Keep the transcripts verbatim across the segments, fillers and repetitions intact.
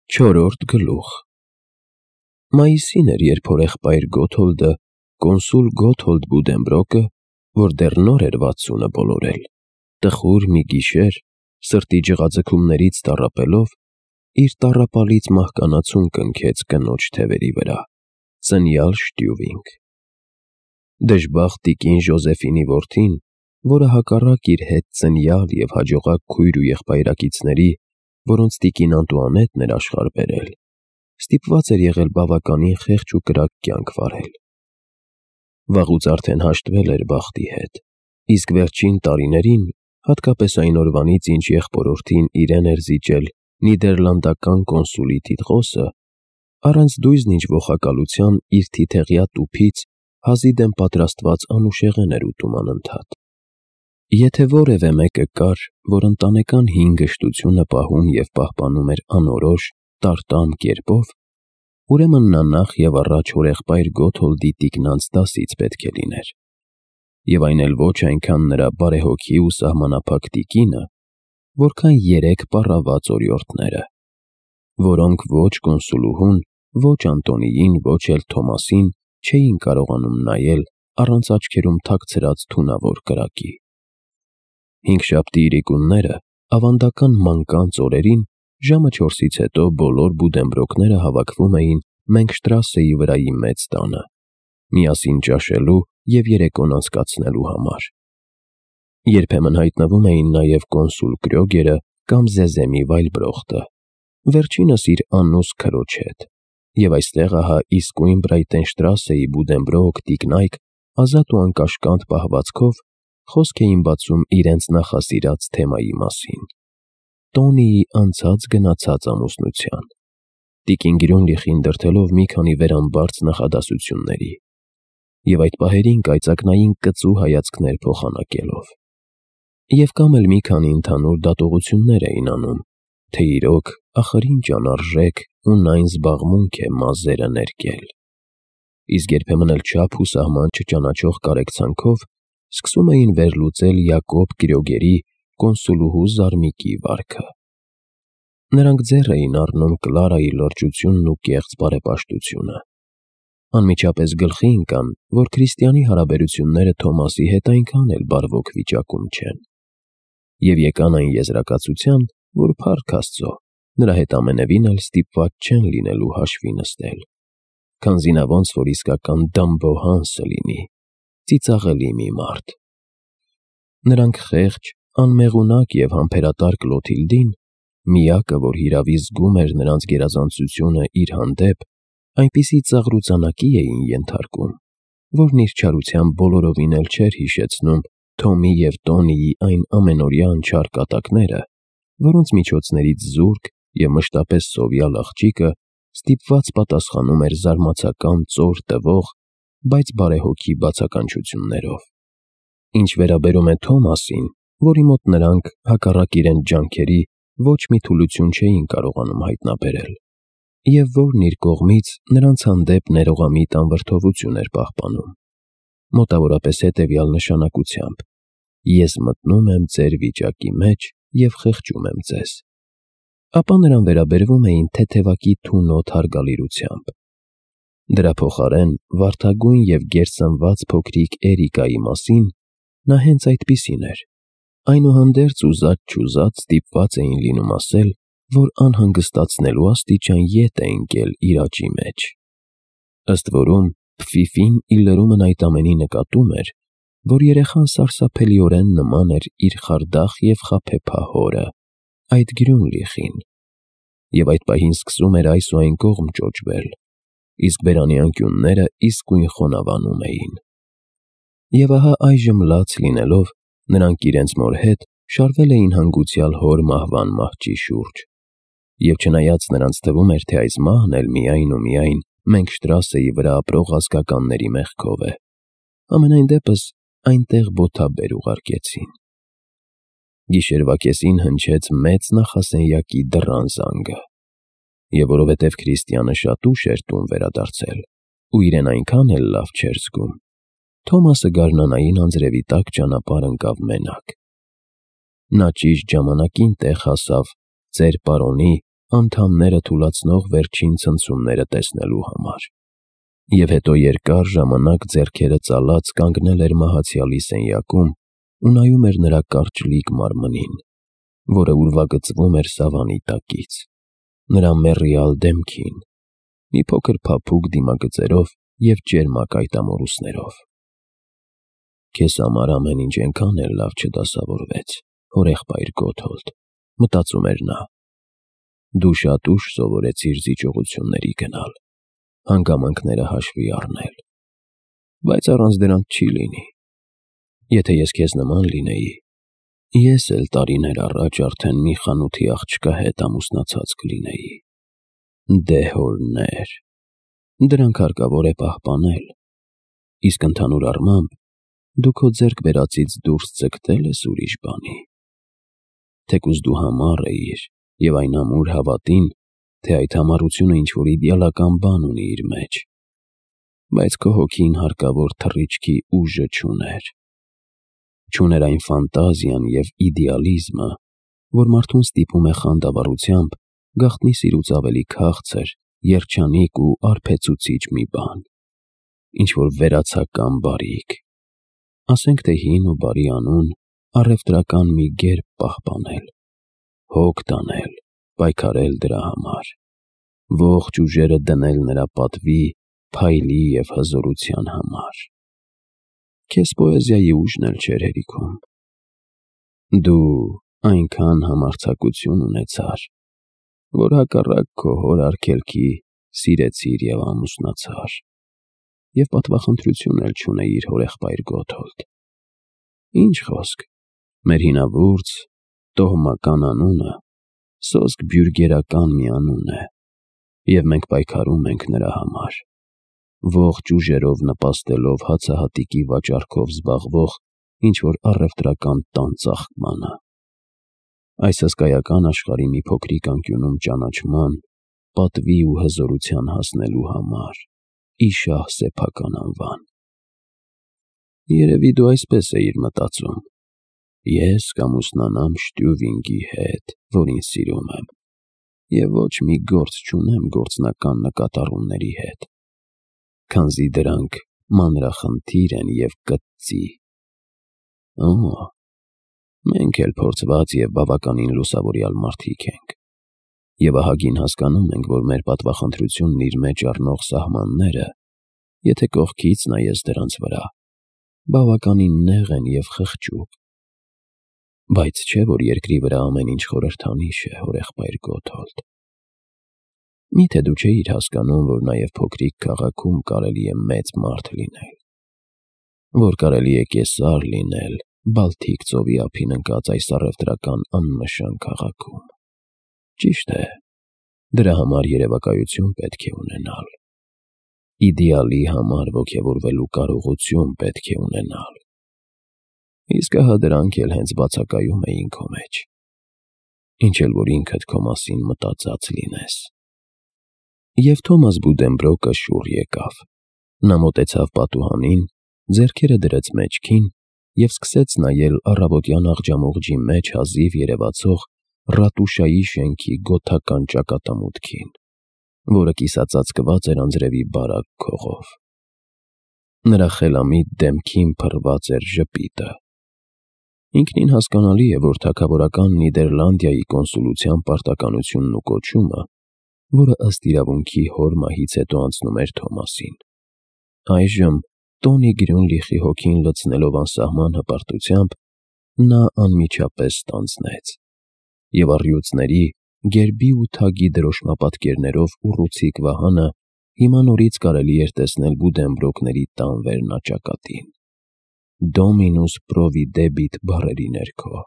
Չորրորդ գլուխ Մայիսին էր, երբ հորեղբայր Գոթոլդը, կոնսուլ Գոթոլդ Բուդենբրոկը, որ դեռ նոր էր վաթսունը բոլորել, տխուր մի գիշեր, սրտի ջղաձգումներից տառապելով, իր տառապալից մահկանացուն կնքեց կնոջ թևերի վրա, ծնյալ Շտյուվինգ։ Դժբախտ տիկին Ժոզեֆինի որդին, որը հակառակ իր հետ ծնյալ և հաջողակ քույր ու եղբայրակիցների, որոնց տիկին Անտուանետն էր աշխարհ բերել, ստիպված էր եղել բավականին խեղճ ու կրակ կյանք վարել։ Վաղուց արդեն հաշտվել էր բախտի հետ, իսկ վերջին տարիներին, հատկապես այն օրվանից, ինչ եղբորորդին իրեն էր զիջել նիդերլանդական կոնսուլի տիտղոսը, առանց դույզն ինչ ոխակալության իր թիթեղյա տուփից հազի դեմ պատրաստված անուշեղեն էր ուտում անընդհատ։ Եթե որևէ մեկը կար, որ ընտանեկան հին գժտությունը պահում և պահպանում էր անորոշ, տարտամ կերպով, ուրեմն նա նախ և առաջ հորեղբայր Գոթոլդի տիկնանց դասից պետք է լիներ, և այն էլ ոչ այնքան նրա բարեհոգի ու սահմանափակ տիկինը, որքան երեք պառաված օրիորդները, որոնք ոչ կոնսուլուհուն, ոչ Անտոնիին, ոչ էլ Թոմասին չէին կարողանում նայել առանց աչքերում թաքցրած թունավոր կրակի։ Հինգշաբթի իրիկունները, ավանդական մանկանց օրերին, ժամը չորսից հետո բոլոր Բուդենբրոկները հավաքվում էին Մենգշտրասեի վրայի մեծ տանը, միասին ճաշելու և երեկոն անցկացնելու համար։ Երբեմն հայտնվում էին նաև կոնսուլ Կրյոգերը կամ Զեզեմի Վայլբրոխտը, վերջինս իր անուս քրոջ հետ, և այստեղ ահա իսկույն Բրայտենշտրասեի Բուդենբրոկ տիկնայք ազատ ու անկաշկանդ պահվածքով խոսք էին բացում իրենց նախասիրած թեմայի մասին՝ Տոնիի անցած-գնացած ամուսնության, տիկին Գրյունլիխին դրդելով մի քանի վերամբարձ նախադասությունների և այդ պահերին կայծակնային կծու հայացքներ փոխանակելով, և կամ էլ մի քանի ընդհանուր դատողություններ էին անում, թե իրոք ախր ինչ անարժեք ու նայն զբաղմունք է մազերը ներկել, իսկ երբեմն էլ չափ ու սահման չճանաչող կարեկցանքով սկսում էին վերլուծել Յակոբ Կրյոգերի կոնսուլուհու Զարմիկի վարքը։ Նրանք ձեռ էին առնում Կլարայի լրջությունն ու կեղծ բարեպաշտությունը, անմիջապես գլխի ընկան, որ քրիստիանի հարաբերությունները Թոմասի հետ այնքան էլ բարվոք վիճակում չեն, և եկան այն եզրակացության, որ փառք Աստծո, նրա հետ ամենևին էլ ստիպված չեն լինելու հաշվի նստել, քանզի նա ոնց որ իսկական դամբոհանսը լինի, ծիծաղելի մի մարդ։ Նրանք խեղճ, անմեղունակ և համբերատար Կլոթիլդին, միակը, որ հիրավի զգում էր նրանց գերազանցությունը իր հանդեպ, այնպիսի ծաղրուծանակի էին ենթարկում, որն իր չարությամբ բոլորովին էլ չէր հիշեցնում Թոմի և Տոնիի այն ամենօրյա անչափ կատակները, որոնց միջոցներից զուրկ և մշտապես սովյալ աղջիկը ստիպված պատասխանում էր զարմացական ծոր տվող, բայց բարեհոգի բացականչություններով։ Ինչ վերաբերում է Թոմասին, որի մոտ նրանք, հակառակ իրենց ջանքերի, ոչ մի թուլություն չէին կարողանում հայտնաբերել, և որն իր կողմից նրանց հանդեպ ներողամիտ անվրդովություն էր պահպանում, մոտավորապես հետևյալ նշանակությամբ. «Ես մտնում եմ ձեր վիճակի մեջ և խղճում եմ ձեզ», ապա նրան վերաբերվում էին թեթևակի թունոտ հարգալիրությամբ։ Դրա փոխարեն վարդագույն և գերսնված փոքրիկ Էրիկայի մասին նա հենց այդպիսին էր, այնուհանդերձ ուզած-չուզած ստիպված էին լինում ասել, որ անհանգստացնելու աստիճան ետ է ընկել իր աճի մեջ։ Ըստ որում, Փֆիֆին ի լրումն այդ ամենի նկատում էր, որ երեխան սարսափելիորեն նման էր իր խարդախ և խաբեբա հորը, այդ Գրյունլիխին, և այդ պահին սկսում էր այս ու այն կողմ ճոճվել, իսկ բերանի անկյունները իսկույն խոնավանում էին։ Եվ ահա այժմ լաց լինելով, նրանք իրենց մոր հետ շարվել էին հանգուցյալ հոր մահվան մահճի շուրջ, և չնայած նրանց թվում էր, թե այս մահն էլ միայն ու միայն Մենգշտրասեի վրա ապրող ազգականների մեղքով է, համենայն դեպս այնտեղ բոթաբեր ուղարկեցին։ Գիշերվա կեսին հնչեց մեծ նախասենյակի դռան զանգը, և որովհետև քրիստյանը շատ ուշ էր տուն վերադարձել ու իրեն այնքան էլ լավ չէր զգում, Թոմասը գարնանային անձրևի տակ ճանապարհ ընկավ մենակ։ Նա ճիշտ ժամանակին տեղ հասավ ծեր պարոնի անդամները թուլացնող վերջին ցնցումները տեսնելու համար։ Եվ հետո երկար ժամանակ ձեռքերը ծալած կանգնել էր մահացյալի սենյակում ու նայում էր նրա կարճլիկ մարմնին, որը ուրվագծվում էր սավանի տակից, նրա մեռյալ դեմքին, մի փոքր փափուկ դիմագծերով և ճերմակ այտամորուսներով։ «Քեզ համար ամեն ինչ էնքան էլ լավ չդասավորվեց, հորեղբայր Գոթոլդ», մտածում էր նա։ «Դու շատ ուշ սովորեցիր զիջողությունների գնալ, հանգամանքները հաշվի առնել, բայց առանց դրանց չի լինի։ Եթե ես քեզ նման լինեի, ես էլ տարիներ առաջ արդեն մի խանութի աղջկա հետ ամուսնացած կլինեի։ Դե հորներ, դրանք հարկավոր է պահպանել, իսկ ընդհանուր առմամբ դու քո ձեռք բերածից դուրս ձգտել ես ուրիշ բանի։ Թեկուզ դու համառ էիր և այն ամուր հավատին, թե այդ համառությունը ինչ-որ իդեալական բան ունի իր մեջ, բայց քո հոգին հարկավոր թռիչքի ուժը չուներ։ Չուներ այն ֆանտազիան և իդեալիզմը, որ մարդուն ստիպում է խանդավառությամբ գաղտնի սիրուց ավելի քաղցր, երջանիկ ու արբեցուցիչ մի բան, ինչ-որ վերացական բարիք, ասենք թե հին ու բարի անուն, առևտրական մի գերբ պահպանել, հոգ տանել, պայքարել դրա համար, ողջ ուժերը դնել նրա պատվի, փայլի և հզորության համար։ Քեզ պոեզիայի ուժն էլ չէր հերիքում։ Դու այնքան համարձակություն ունեցար, որ հակառակ քո հոր արգելքի սիրեցիր և ամուսնացար, և պատվախնդրություն էլ չունեիր, հորեղբայր Գոթոլդ։ Ինչ խոսք, մեր հինավուրց, տոհմական անունը սոսկ բյուրգերական մի անուն է, և մենք պայքարում ենք նրա համար, ողջ ուժերով նպաստելով հացահատիկի վաճառքով զբաղվող ինչ-որ առևտրական տան ծաղկմանը, այս հսկայական աշխարհի մի փոքրիկ անկյունում ճանաչման, պատվի ու հզորության հասնելու համար, ի շահ սեփական անվան։ Երևի դու այսպես էիր մտածում. ես կամուսնանամ Շտյուվինգի հետ, որին սիրում եմ, և ոչ մի գործ չունեմ գործնական նկատառումների հետ, քանզի դրանք մանրախնդիր են և կծծի։ Օ, մենք էլ փորձված և բավականին լուսավորյալ մարդիկ ենք, և ահագին հասկանում ենք, որ մեր պատվախնդրությունն իր մեջ առնող սահմանները, եթե կողքից նայես դրանց վրա, բավականին նեղ են և խղճուկ։ Բայց չէ՞ որ երկրի վրա ամեն ինչ խորհրդանիշ է, հորեղբայր Գոթոլդ։ Մի՞թե դու չէիր հասկանում, որ նաև փոքրիկ քաղաքում կարելի է մեծ մարդ լինել, որ կարելի է կեսար լինել Բալթիկ ծովի ափին ընկած այս առևտրական աննշան քաղաքում։ Ճիշտ է, դրա համար երևակայություն պետք է ունենալ, իդեալի համար ոգևորվելու կարողություն պետք է ունենալ, իսկ ահա դրանք էլ հենց բացակայում էին քո մեջ, ինչ էլ որ ինքդ քո մասին մտածած լինես։ Եվ Թոմաս Բուդենբրոկը շուռ եկավ։ Նա մոտեցավ պատուհանին, ձեռքերը դրեց մեջքին և սկսեց նայել առավոտյան աղջամուղջի մեջ հազիվ երևացող ռատուշայի շենքի գոթական ճակատամուտքին, որը կիսածածկված էր անձրևի բարակ քողով։ Նրա խելամիտ դեմքին փռված էր ժպիտը։ Ինքնին հասկանալի է, որ թագավորական Նիդերլանդիայի կոնսուլության պարտականությունն ու կոչումը, որը ըստ իրավունքի հոր մահից հետո անցնում էր Թոմասին, այժմ Տոնի Գրյունլիխի հոգին լցնելով անսահման հպարտությամբ, նա անմիջապես ստանձնեց, և առյուծների, գերբի ու թագի դրոշմապատկերներով ուռուցիկ վահանը հիմա նորից կարելի էր տեսնել Բուդենբրոկների տան վերնաճակատին, Dominus Providebit բառերի ներքո։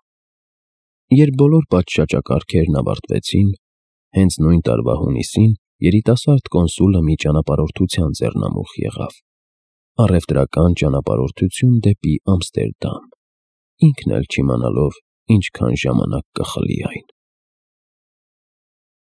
Երբ բոլոր պատշաճակարգերն ավարտվեցին, հենց նույն տարվա հունիսին երիտասարդ կոնսուլը մի ճանապարհորդության ձեռնամուխ եղավ, առևտրական ճանապարհորդություն դեպի Ամստերդամ, ինքն էլ չիմանալով ինչքան ժամանակ կխլի այն։